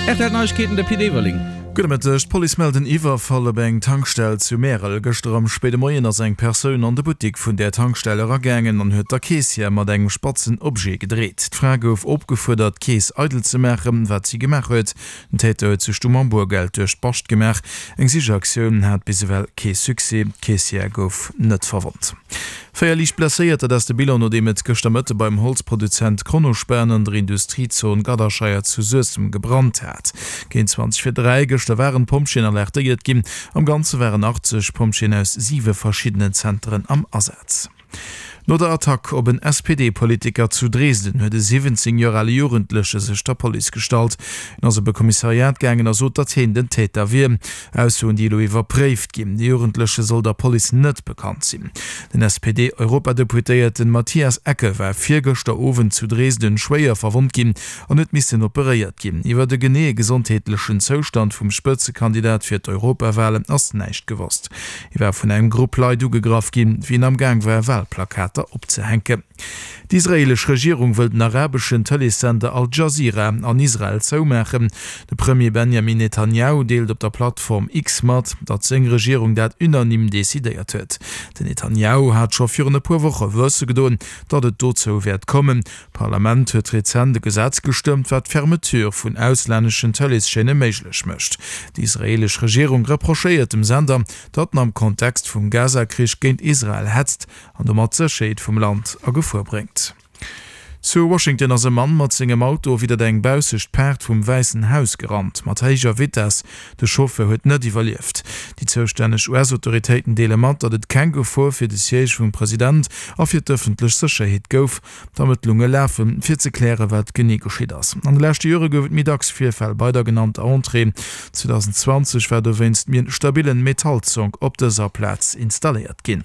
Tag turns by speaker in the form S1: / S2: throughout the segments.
S1: Rtl Neiegkeeten, de Pit Everling.
S2: Gudde Mëtteg. D'Police mellt en Iwwerfall op eng Tankstell zu Märel. Gëschter am spéide Moien ass eng Persoun an de Buttik vun där Tankstell eragaangen an huet der Keessière mat engem spatzen Objet gedreet. D'Fra gouf opgefuerdert, d'Keess eidel ze maachen, wat si gemaach huet. Den Täter huet sech du mam Boergeld duerch d'Bascht gemaach. Eng Sichaktioun hat bis ewell kee Succès, d'Keessière gouf net verwonnt. 4 liicht Blesséiert, dat ass de Bilan nodeem et gëschter Mëtte beim Holzproduzent Kronospan an der Industriezon Gadderscheier zu Suessem gebrannt hat. Géint 20 vir 3 gëschter waren d'Pompjeeën alertéiert ginn. Am Ganze waren 80 Pompjeeën aus 7 verschiddenen Zenteren am Asaz. No der Attack op en SPD-Politiker zu Dresden huet e 17 Joer ale Jugendleche sech der Police gestallt. En ass op e Kommissariat gaangen a sot, datt heen den Täter wier. Aussoen, déi elo iwwerpréift ginn. De Jugendleche soll der Police net bekannt sinn. Den SPD-Europadeputéierten Matthias Ecke war virgëschter Owend zu Dresden schwéier verwonnt ginn an huet missen operéiert ginn. Iwwer de geneeë gesondheetlechen Zoustand vum Spëtzekandidat fir d'Europawalen ass näischt gewosst. Hie war vun engem Grupp Leit ugegraff ginn, wéi en am Gaang war, Walplakater opzehänken. D'israeelesch Regierung wëll den arabeschen Tëleessender Al Jazeera an Israel zoumaachen. De Premier Benjamin Netanjahu deelt op der Plattform X mat, datt seng Regierung dat unanime decidéiert huet. Den Netanjahu hat scho virun e puer Woche wësse gedoen, datt et dozou wäert kommen. D'Parlament huet rezent e Gesetz gestëmmt, wat d'Fermeture vun auslänneschen Tëleeschaîne méiglech mécht. Déi israeelesch Regierung reprochéiert dem Sender, datt en am Kontext vum Gaza-Krich géint Israel hetzt an domat d'Sécherheet vum Land a Gefor bréngt. Zu Washington ass e Mann mat sengem Auto widdert eng baussecht Paart vum Wäissen Haus gerannt, mat héijer Vitess. De Chauffeur huet net iwwerlieft. Déi zoustänneg US-Autoritéiten deele mat, datt et keng Gefor fir de Siège vum President a fir d'ëffentlech Sécherheet gouf. D'Ermëttlunge lafen, fir ze klären, wat genee geschitt ass. An de leschte Jore gouf et méi dacks Virfäll bei der genannter Entrée. 2020 war dowéinst méi en stabillen Metallzonk op dëser Plaz installéiert ginn.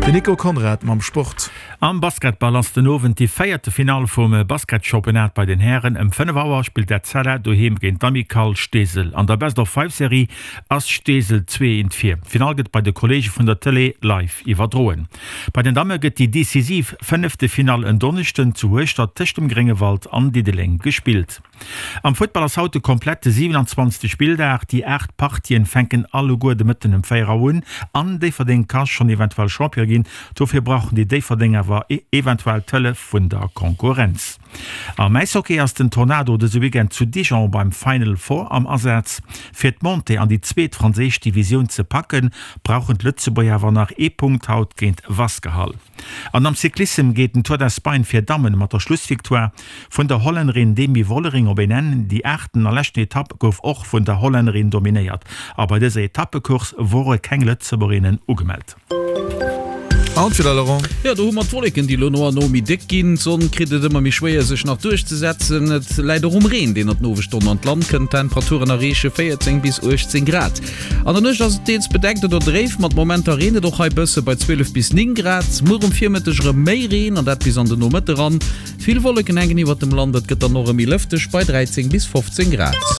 S2: Den Nico Conrad mam Sport.
S3: Am Basketball ass den Owend déi véierte Finall vum Basketchampionnat bei den Hären. Ëm 5 Auer spillt d'Etzella doheem géint d'Amicale Steesel. An der Best-of-Five-Serie ass Steesel 2 eent vir. D'Finall gëtt bei de Kolleege vun der Tëlee live iwwerdroen. Bei den Damme gëtt déi decisiv Fënneftefinall en Donneschden zu Hueschtert tëscht dem Gréngewald an Diddeleng gespillt. Am Futtball ass haut de komplette 27. Spilldag. Déi 8 Partien fänken alleguer de Mëtten ëm 4 Auer un an Déifferdeng ka schonn eventuell Champion ginn. Dofir brauchen déi Déifferdeng awer eventuell d'Hëllef vun der Konkurrenz. Am Äishockey ass den Tornado dëse Weekend zu Dijon beim Final Four am Asaz. Fir d'Montée an déi zweet franséisch Divisioun ze packen, brauchen d'Lëtzebuerger awer nach ee Punkt haut géint Wasquehal. An am Cyclissem geet den Tour d'Espagne fir Dammen mat der Schlussvictoire vun der Hollännerin Demi Vollering op een Enn. Déi aachten a leschten Etapp gouf och vun der Hollännerin dominéiert a bei dëser Etappecourse wore keng Lëtzebuergerinnen ugemellt.
S1: An fir de Laurent. Jo, do hu mer d'Wolleken, déi elo no an no méi déck ginn. D'Sonn kritt et ëmmer méi schwéier, sech nach duerchzesetzen. Et läit och um Reen, deen an den Owesstonnen an d'Land kënnt. D'Temperaturen erreeche 14 bis 18 Grad. An der Nuecht ass et deels bedeckt oder dréif, mat Momenter reent et och hei bësse bei 12 bis 9 Grad. Muer um Virmëtteg erëm méi Reen, an dat bis an den Nomëtte ran. Vill Wolleken hänken iwwert dem Land, et gëtt dann och erëm méi lëfteg bei 13 bis 15 Grad.